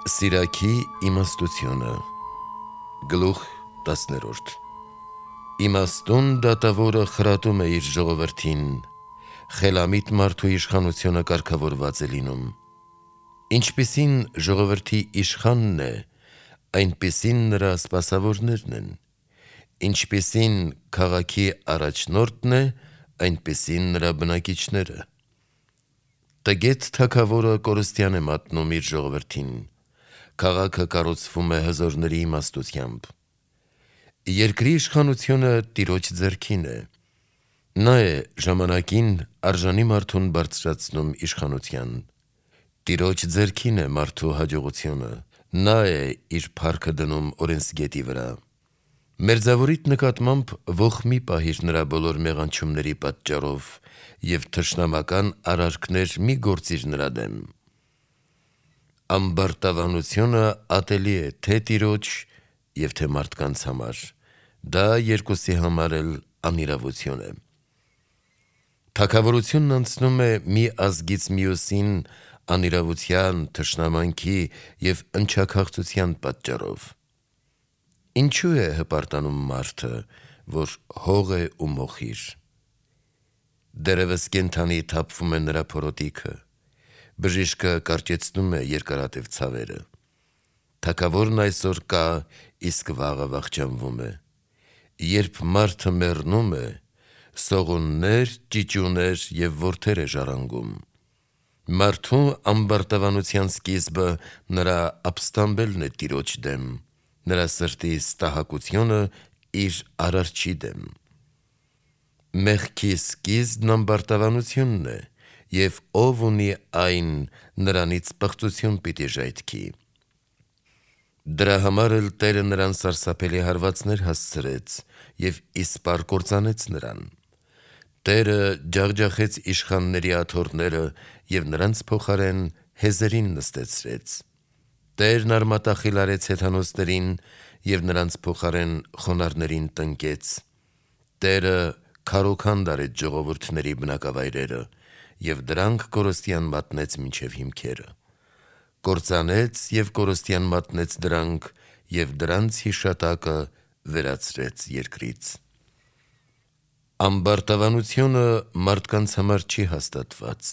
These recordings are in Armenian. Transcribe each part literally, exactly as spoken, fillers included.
Սիրակի իմաստությունը Գլուխ տասներորդ Իմաստուն դատավորը խրատում է իր ժողովրդին, խելամիտ մարդու իշխանությունը կարգավորված է լինում։ Ինչպիսին ժողովրդի իշխանն է, այնպիսին նրա սպասավորներն են, ինչպիսին քաղաքի առաջնորդն է, այնպիսին նրա բնակիչները։ Տգետ թագավորը կորստյան է մատնում իր ժողովրդին, քաղաքը կառուցվում է հզորների իմաստությամբ։ Երկրի իշխանությունը Տիրոջ ձեռքին է, նա է ժամանակին արժանի մարդուն բարձրացնում իշխանության։ Տիրոջ ձեռքին է մարդու հաջողությունը, նա է իր փառքը դնում օրենսգետի վրա։ Մերձավորիդ նկատմամբ ոխ մի պահիր նրա բոլոր մեղանչումների պատճառով և թշնամական արարքներ մի գործիր նրա դեմ։ Ամբարտավանությունը ատելի է թե Տիրոջ և թե մարդկանց համար, դա երկուսի համար էլ անիրավություն է։ Թագավորությունն անցնում է մի ազգից մյուսին անիրավության, թշնամանքի և ընչաքաղցության պատճառով։ Ինչու է հպարտանում մարդը, որ հող է ու մոխիր։ Դեռևս կենդանի թափվում է նրա փորոտիքը, բժիշկը կարճեցնում է երկարատև ցավերը։ Թագավորն այսօր կա, իսկ վաղը վախճանվում է։ Երբ մարդը մեռնում է, սողուններ, ճիճուներ և որդեր է ժառանգում։ Մարդու ամբարտավանության սկիզբը նրա ապստամբելն է Տիրոջ դեմ, նրա սրտի ստահակությունը իր Արարչի դեմ։ Մեղքի սկիզբն ամբարտավանությունն է, և ով ունի այն, նրանից պղծություն պիտի ժայթքի։ Դրա համար էլ Տերը նրան սարսափելի հարվածներ հասցրեց և իսպառ կործանեց նրան։ Տերը ջախջախեց իշխանների աթոռները և նրանց փոխարեն հեզերին նստեցրեց։ Տերն արմատախիլ արեց հեթանոսներին և նրանց փոխարեն խոնարհներին տնկեց։ Տերը քարոքանդ արեց ժողովուրդների բնակավայրերը և դրանք կորստյան մատնեց մինչև հիմքերը։ Կործանեց և կորստյան մատնեց դրանք և դրանց հիշատակը վերացրեց երկրից։ Ամբարտավանությունը մարդկանց համար չի հաստատված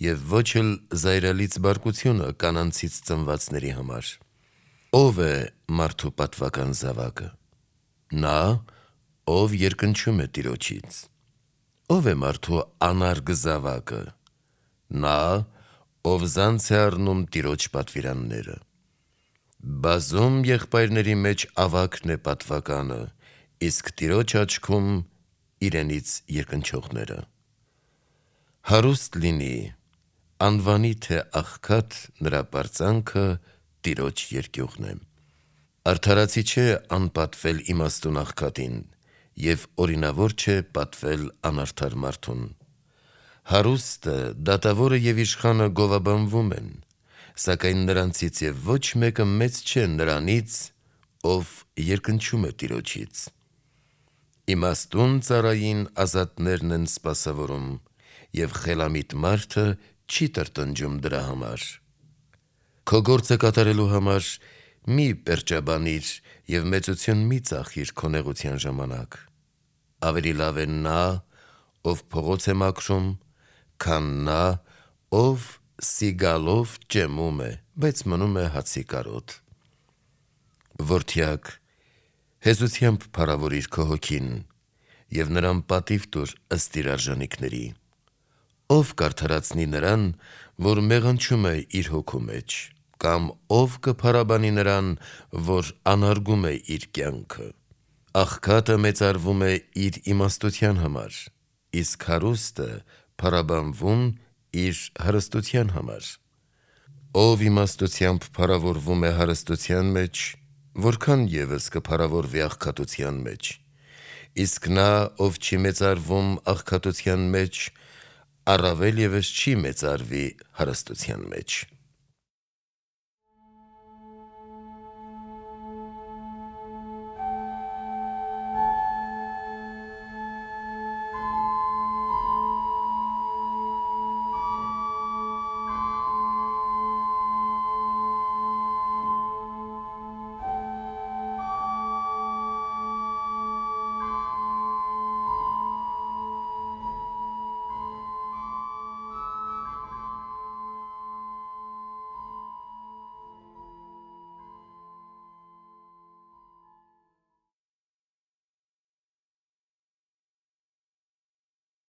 և ոչ էլ զայրալից բարկությունը կանանցից ծնվածների համար։ Ո՞վ է մարդու պատվական զավակը։ Նա, ով երկնչում է Տիրոջից։ Ո՞վ է մարդու անարգ զավակը։ Նա, ով զանց է առնում Տիրոջ պատվիրանները։ Բազում եղբայրների մեջ ավագն է պատվականը, իսկ Տիրոջ աչքում իրենից երկնչողները։ Հարուստ լինի, անվանի թե աղքատ, նրա պարծանքը Տիրոջ երկյուղն է։ Արդարացի չէ անպատվել իմաստուն աղքատին և օրինավոր չէ պատվել անարդար մարդուն։ Հարուստը, դատավորը և իշխանը գովաբանվում են, սակայն նրանցից և ոչ մեկը մեծ չէ նրանից, ով երկնչում է Տիրոջից։ Իմաստուն ծառային ազատներն են սպասավորում, և խելամիտ մարդը չի տրտնջում դրա համար։ Քո գործը կատարելու համար մի պերճաբանիր և մեծություն մի ծախիր քո նեղության ժամանակ։ Ավելի լավ է նա, ով փողոց է մաքրում, քան նա, ով սիգալով ճեմում է, բայց մնում է հացի կարոտ։ Որդյակ, հեզությամբ փառավորիր քո հոգին և նրան պատիվ տուր ըստ իր արժանիքների։ Ո՞վ կարդարացնի նրան, որ մեղանչում է իր հոգու մեջ, կամ ո՞վ կփառաբանի նրան, որ անարգում է իր կյանքը։ Աղքատը մեծարվում է իր իմաստության համար, իսկ հարուստը փառաբանվում իր հարստության համար։ Ով իմաստությամբ փառավորվում է հարստության մեջ, որքան ևս կփառավորվի աղքատության մեջ, իսկ նա, ով չի մեծարվում աղքատության մեջ, առավել ևս չի մեծարվի հարստության մեջ։